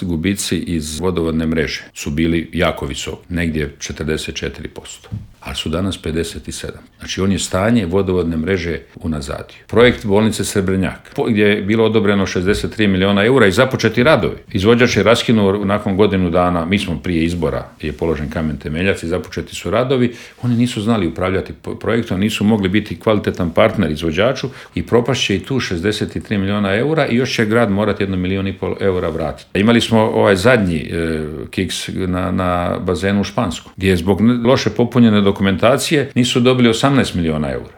Gubici iz vodovodne mreže su bili jako visoki, negdje 44%, ali su danas 57%. Znači on je stanje vodovodne mreže unazadio. Projekt bolnice Srebrnjak, gdje je bilo odobreno 63 milijuna eura i započeti radovi. Izvođač je raskinuo nakon godinu dana, mi smo prije izbora, je položen kamen temeljac i započeti su radovi. Oni nisu znali upravljati projektom, nisu mogli biti kvalitetan partner izvođaču i propašće i tu 63 milijuna eura i još će grad morati 1,5 milijuna eura vratiti. Imali smo ovaj zadnji kiks na bazenu u Špansku, gdje je zbog loše popunjene dokumentacije nisu dobili 18 milijuna eura.